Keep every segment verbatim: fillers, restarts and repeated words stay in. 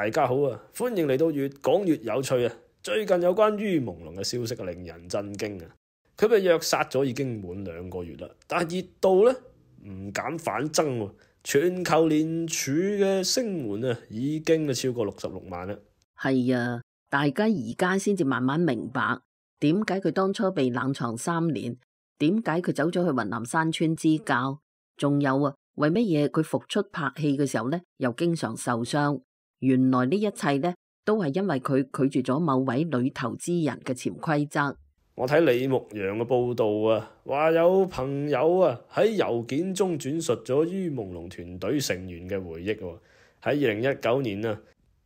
大家好啊，歡迎嚟到越講越有趣啊！最近有關於朦朧嘅消息令人震驚啊！佢被虐殺咗已經滿兩個月啦，但係熱度咧唔減反增喎，全球連署嘅聲援啊已經超過六十六萬啦。係啊，大家而家先至慢慢明白點解佢當初被冷藏三年，點解佢走咗去雲南山村支教，仲有啊，為乜嘢佢復出拍戲嘅時候咧又經常受傷？原來呢一切咧都係因為佢拒絕咗某位女投資人嘅潛規則。我睇李牧陽嘅報道啊，話有朋友啊喺郵件中轉述咗于朦朧團隊成員嘅回憶喎。喺二零一九年啊，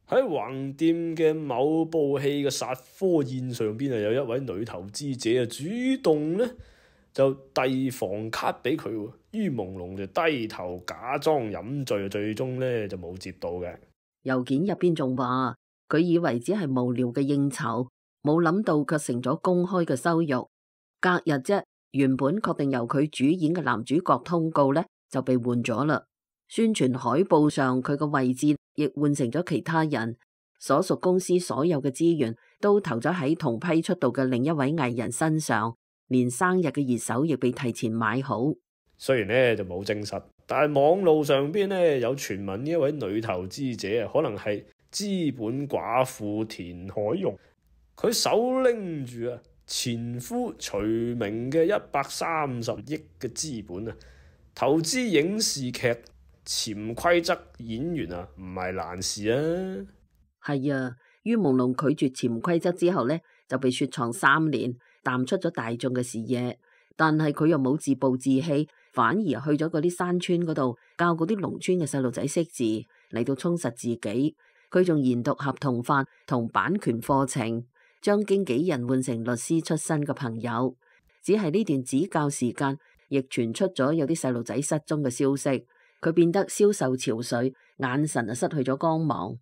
喺橫店嘅某部戲嘅殺科宴上邊啊，有一位女投資者啊主動咧就遞房卡俾佢，于朦朧就低頭假裝飲醉，最終咧就冇接到嘅。郵件入邊仲話佢以為只係無聊嘅應酬，冇諗到卻成咗公開嘅羞辱。隔日啫，原本確定由佢主演嘅男主角通告咧就被換咗啦。宣傳海報上佢嘅位置亦換成咗其他人，所屬公司所有嘅資源都投咗喺同批出道嘅另一位藝人身上，連生日嘅熱搜亦被提前買好。雖然咧就冇證實，但係網路上邊咧有傳聞呢一位女投資者啊，可能係資本寡婦田海蓉。佢手拎住啊前夫徐明嘅一百三十億嘅資本啊，投資影視劇潛規則演員啊，唔係難事啊。係啊，于朦朧拒絕潛規則之後呢，就被雪藏三年，淡出咗大眾嘅視野。但係佢又冇自暴自棄，反而去咗嗰啲山村嗰度教嗰啲農村嘅細路仔識字，嚟到充實自己。佢仲研讀合同法同版權課程，將經紀人換成律師出身嘅朋友。只係呢段指教時間，亦傳出咗有啲細路仔失蹤嘅消息。佢變得消瘦憔悴，眼神啊失去咗光芒。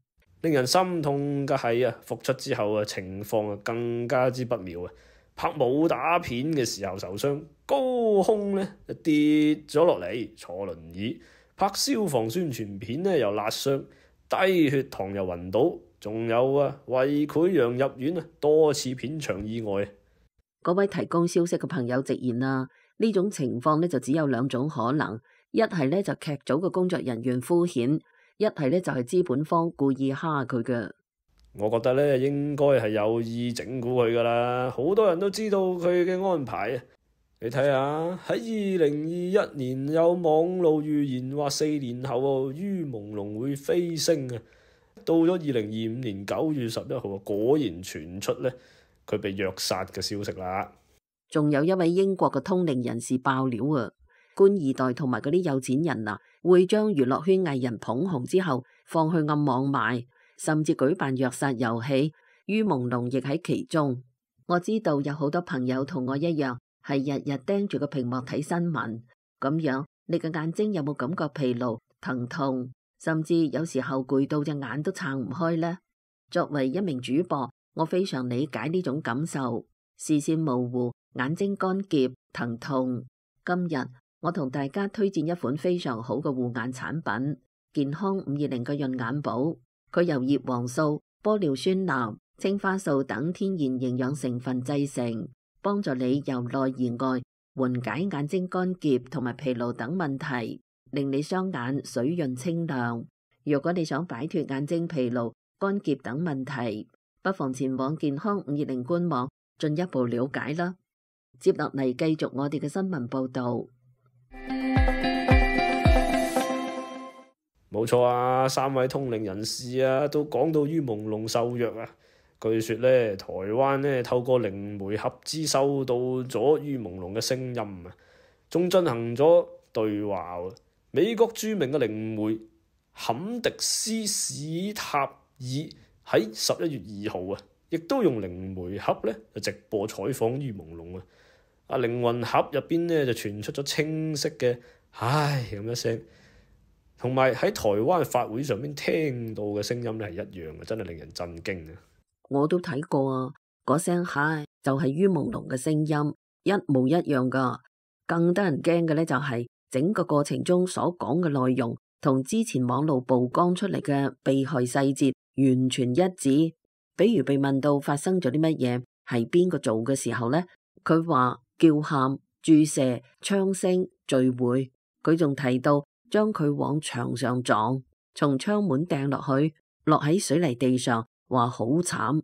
令人心痛嘅係啊，復出之後啊，情況啊更加之不妙啊！拍武打片嘅時候受傷，高空咧就跌咗落嚟，坐輪椅；拍消防宣傳片咧又辣傷，低血糖又暈倒，仲有啊胃潰瘍入院啊，多次片場意外。嗰位提供消息嘅朋友直言啊，呢種情況咧就只有兩種可能，一係咧就劇組嘅工作人員敷衍，一係咧就係資本方故意蝦佢嘅。我覺得咧應該係有意整蠱佢噶啦，好多人都知道佢嘅安排啊。你睇下喺二零二一年有網路預言話四年後于朦朧會飛升啊，到咗二零二五年九月十一號果然傳出咧佢被虐殺嘅消息啦。仲有一位英國嘅通靈人士爆料啊，官二代同埋嗰啲有錢人啊，會將娛樂圈藝人捧紅之後放去暗網賣，甚至舉辦虐殺遊戲，于朦朧亦喺其中。我知道有好多朋友同我一樣，係日日盯住個屏幕睇新聞，咁樣你嘅眼睛有冇感覺疲勞、疼痛，甚至有時候攰到隻眼都撐唔開呢？作為一名主播，我非常理解呢種感受，視線模糊、眼睛乾澀、疼痛。今日我同大家推薦一款非常好嘅護眼產品——健康五二零嘅潤眼寶。佢由葉黃素、玻尿酸鈉、青花素等天然營養成分製成，幫助你由內而外緩解眼睛乾澀同埋疲勞等問題，令你雙眼水潤清亮。如果你想擺脫眼睛疲勞、乾澀等問題，不妨前往健康五二零官網進一步了解啦。接落嚟繼續我哋嘅新聞報道。冇錯啊，三位通靈人士啊都講到于朦朧受虐啊。據說咧，台灣咧透過靈媒合資收到咗于朦朧嘅聲音啊，仲進行咗對話。美國著名嘅靈媒坎迪斯史塔爾喺十一月二號啊，亦都用靈媒盒咧就直播採訪于朦朧啊。啊，靈魂盒入邊咧就傳出咗清晰嘅唉咁一聲。同埋喺台灣法會上面聽到嘅聲音咧係一樣嘅，真係令人震驚啊！我都睇過啊，嗰聲嗨就係于朦朧嘅聲音，一模一樣噶。更得人驚嘅咧就係整個過程中所講嘅內容同之前網路曝光出嚟嘅被害細節完全一致。比如被問到發生咗啲乜嘢，係邊個做嘅時候呢，佢話叫喊、注射、槍聲、聚會。佢仲提到將佢往牆上撞，從窗門掟落去，落喺水泥地上，話好慘。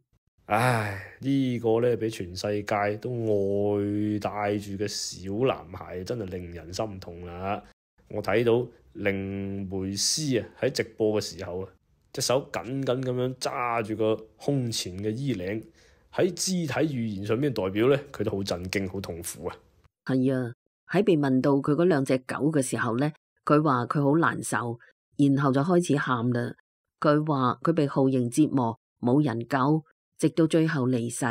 唉，呢個呢，俾全世界都愛戴住嘅小男孩真係令人心痛啦！我睇到靈媒師啊喺直播嘅時候啊，隻手緊緊咁樣揸住個胸前嘅衣領，喺肢體語言上面代表呢，佢都好震驚、好痛苦啊！係啊，喺被問到佢嗰兩隻狗嘅時候呢，佢話佢好難受，然後就開始喊啦。佢話佢被酷刑折磨，冇人救，直到最後離世。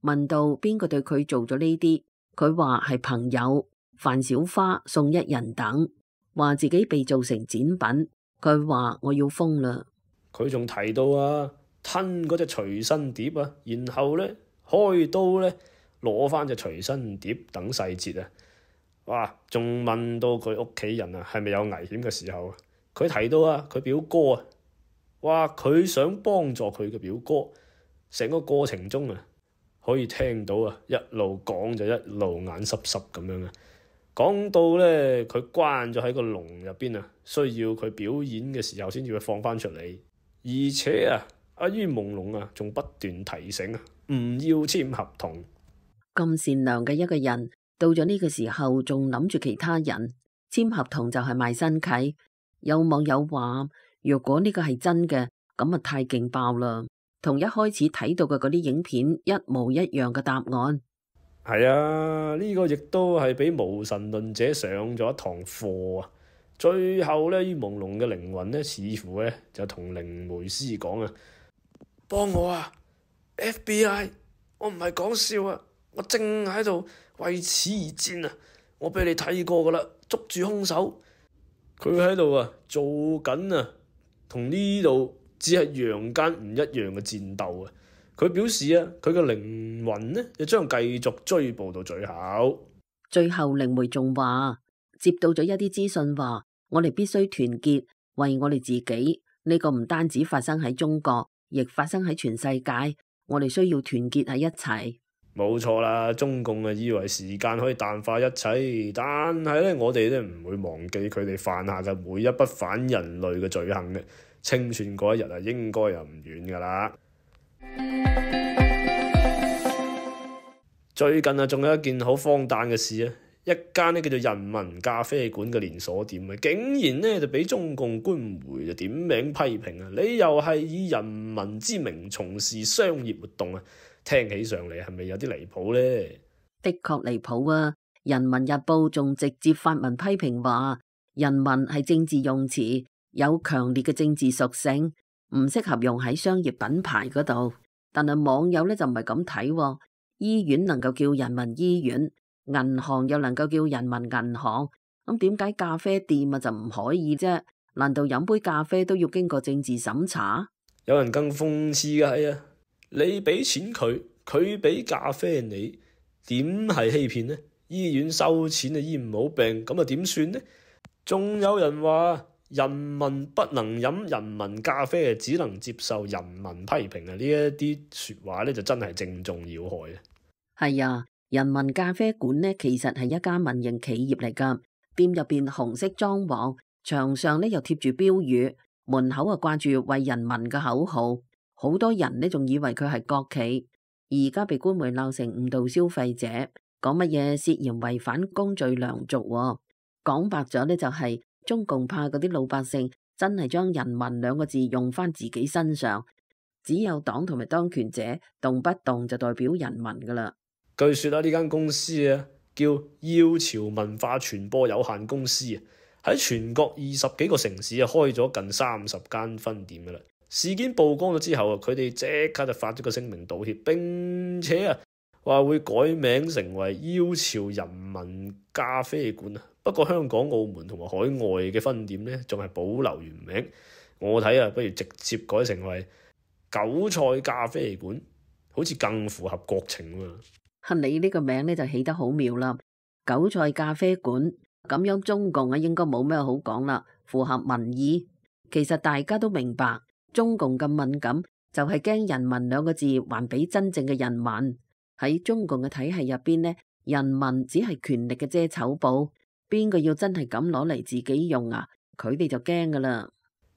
問到邊個對佢做咗呢啲，佢話係朋友范小花、宋一人等，話自己被做成展品。佢話我要瘋啦。佢仲提到啊，吞嗰隻隨身碟啊，然後呢，開刀呢，攞翻隻隨身碟等細節啊。哇！仲問到佢屋企人啊係咪有危險嘅時候啊，佢提到啊佢表哥啊，哇！佢想幫助佢嘅表哥，成個過程中啊可以聽到啊一路講就一路眼濕濕咁樣啊。講到呢，佢關咗喺個籠入邊啊，需要佢表演嘅時候先至會放翻出嚟。而且啊，阿于朦朧啊，仲不斷提醒啊，唔要簽合同。咁善良嘅一個人，到咗呢個時候仲諗住其他人簽合同就係賣身契。有網友話，若果呢個係真嘅，咁啊太勁爆啦，同一開始睇到嘅嗰啲影片一模一樣嘅答案。係啊，呢個亦都係俾無神論者上咗一堂課啊！最後呢，于朦朧嘅靈魂呢，似乎呢就同靈媒師講啊：幫我啊 ，F B I， 我唔係講笑啊，我正喺度為此而戰啊！我俾你睇過噶啦，捉住兇手，佢喺度啊做緊啊，同呢度只係陽間唔一樣嘅戰鬥啊！佢表示啊，佢嘅靈魂呢，就將繼續追捕到最後。最後靈媒仲話，接到咗一啲資訊話，我哋必須團結，為我哋自己。呢個唔單止發生喺中國，亦發生喺全世界。我哋需要團結喺一齊。冇錯啦，中共啊以為時間可以淡化一切，但係咧我哋咧唔會忘記佢哋犯下嘅每一筆反人類嘅罪行嘅。清算嗰一日啊，應該又唔遠噶啦。最近啊，仲有一件好荒誕嘅事啊！一間呢叫做人民咖啡館嘅連鎖店啊，竟然呢就俾中共官媒就點名批評啊！理由係以人民之名從事商業活動啊，聽起上嚟係咪有啲離譜呢？的確離譜啊！人民日報仲直接發文批評話，人民係政治用詞，有強烈嘅政治屬性，唔適合用喺商業品牌嗰度。但係網友呢就唔係咁睇，醫院能夠叫人民醫院，銀行又能夠叫人民銀行，咁點解咖啡店啊就唔可以啫？難道飲杯咖啡都要經過政治審查？有人更諷刺嘅係啊，你俾錢佢，佢俾咖啡你，點係欺騙呢？醫院收錢啊醫唔好病，咁啊點算呢？仲有人話人民不能飲人民咖啡，只能接受人民批評啊！呢一啲說話咧就真係正中要害啊！係啊，人民咖啡館呢其實係一家民營企業嚟噶，店入邊紅色裝潢，牆上呢又貼住標語，門口啊掛住為人民嘅口號，好多人呢仲以為佢係國企，而家被官媒鬧成誤導消費者，講乜嘢涉嫌違反公序良俗喎，講白咗呢就係、是。中共怕嗰啲老百姓真係將人民兩個字用翻自己身上，只有黨同埋當權者動不動就代表人民噶啦。據說啊，呢間公司啊叫耀潮文化傳播有限公司啊，喺全國二十幾個城市啊開咗近三十間分店噶啦。事件曝光咗之後啊，佢哋即刻就發咗個聲明道歉，並且啊話會改名成為耀潮人民咖啡館啊。不過香港、澳門同埋海外嘅分店呢，仲係保留原名。我睇啊，不如直接改成為韭菜咖啡館，好似更符合國情喎。你呢個名呢就起得好妙啦，韭菜咖啡館咁樣，中共啊應該冇咩好講啦，符合民意。其實大家都明白，中共咁敏感，就係驚人民兩個字還俾真正嘅人民。喺中共嘅體系入邊呢，人民只係權力嘅遮醜布，邊個要真係咁攞嚟自己用啊？佢哋就驚噶啦。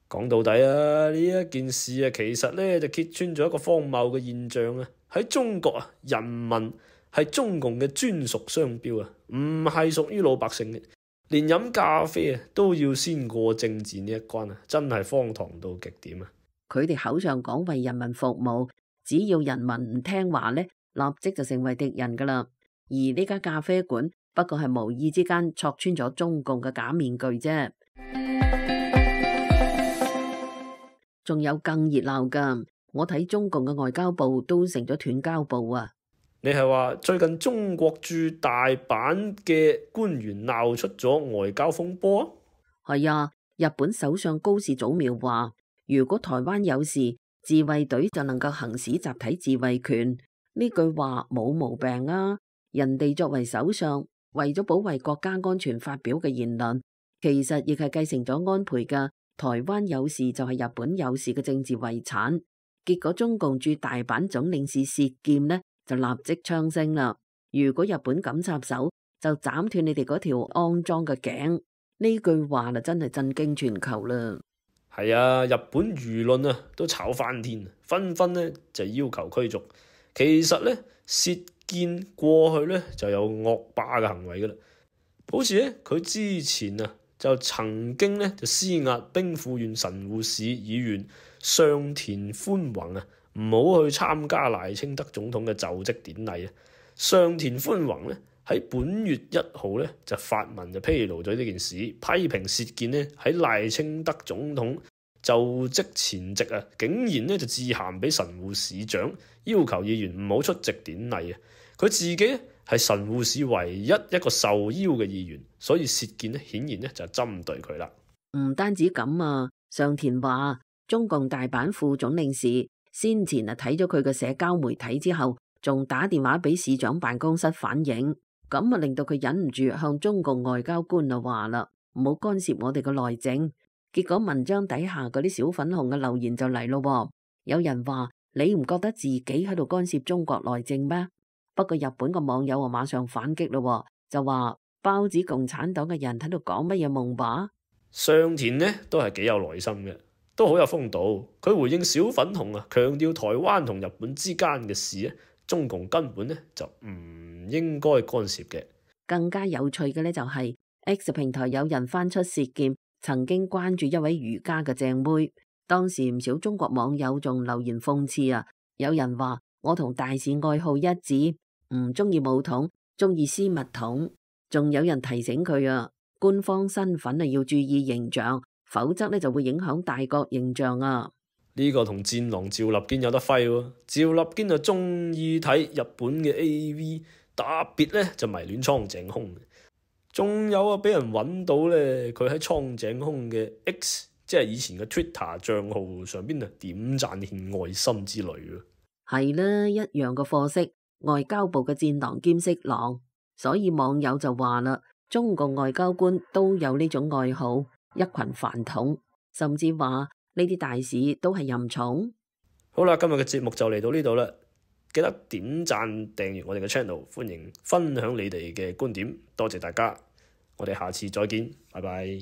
講到底啊，呢一件事啊，其實咧就揭穿咗一個荒謬嘅現象啊！喺中國啊，人民係中共嘅專屬商標啊，唔係屬於老百姓嘅。連飲咖啡啊都要先過政治呢一關啊，真係荒唐到極點啊！佢哋口上講為人民服務，只要人民唔聽話呢，立即就成為敵人噶啦。而呢家咖啡館不過係無意之間戳穿咗中共嘅假面具啫。仲有更熱鬧噶，我睇中共嘅外交部都成咗斷交部啊！你係話最近中國駐大阪嘅官員鬧出咗外交風波啊？係啊，日本首相高市早苗話，如果台灣有事，自衛隊就能夠行使集體自衛權。呢句話冇毛病啊！人哋作為首相，為咗保衛國家安全發表嘅言論，其實亦係繼承咗安倍嘅台灣有事就係日本有事嘅政治遺產。結果中共駐大阪總領事薛劍呢就立即槍聲啦！如果日本敢插手，就斬斷你哋嗰條骯髒嘅頸。呢句話啦，真係震驚全球啦！係啊，日本輿論啊都炒翻天，紛紛呢就要求驅逐。其實呢，薛劍過去呢就有惡霸嘅行為噶啦，好似呢，佢之前啊就曾經呢就施壓兵庫縣神戶市議員上田寬宏啊，唔好去參加賴清德總統嘅就職典禮啊。上田寬宏呢喺本月一號呢就發文就披露咗呢件事，批評薛劍呢喺賴清德總統就職前夕啊，竟然呢就致函俾神戶市長，要求議員唔好出席典禮啊。佢自己咧係神戶市唯一一個受邀嘅議員，所以薛劍咧顯然咧就針對佢啦。唔單止咁啊，上田話中共大阪副總領事先前啊睇咗佢嘅社交媒體之後，仲打電話俾市長辦公室反映，咁啊令到佢忍唔住向中共外交官啊話啦，唔好干涉我哋嘅內政。結果文章底下嗰啲小粉紅嘅留言就嚟咯，有人話你唔覺得自己喺度干涉中國內政咩？不過日本個網友啊馬上反擊咯，就話包子共產黨嘅人喺度講乜嘢夢話？上田呢都係幾有耐心嘅，都好有風度。佢回應小粉紅啊，強調台灣同日本之間嘅事咧，中共根本咧就唔應該干涉嘅。更加有趣嘅咧就係 X 平台有人翻出薛劍曾經關注一位瑜伽嘅正妹，當時唔少中國網友仲留言諷刺啊，有人話我同大使愛好一致，唔中意武統，中意絲襪筒。仲有人提醒佢啊，官方身份啊要注意形象，否則咧就會影響大國形象啊。呢個同戰狼趙立堅有得揮喎。趙立堅就中意睇日本嘅 A V， 特別咧就迷戀蒼井空。仲有啊，俾人揾到咧，佢喺蒼井空嘅 X， 即係以前嘅 Twitter 賬號上邊啊點讚獻愛心之類啊。係啦，一樣嘅貨色。外交部嘅戰狼兼色狼，所以網友就話啦，中共外交官都有呢種愛好，一群飯桶，甚至話呢啲大使都係淫蟲。好啦，今日嘅節目就嚟到呢度啦，記得點讚訂閱我哋嘅 channel， 歡迎分享你哋嘅觀點，多謝大家，我哋下次再見，拜拜。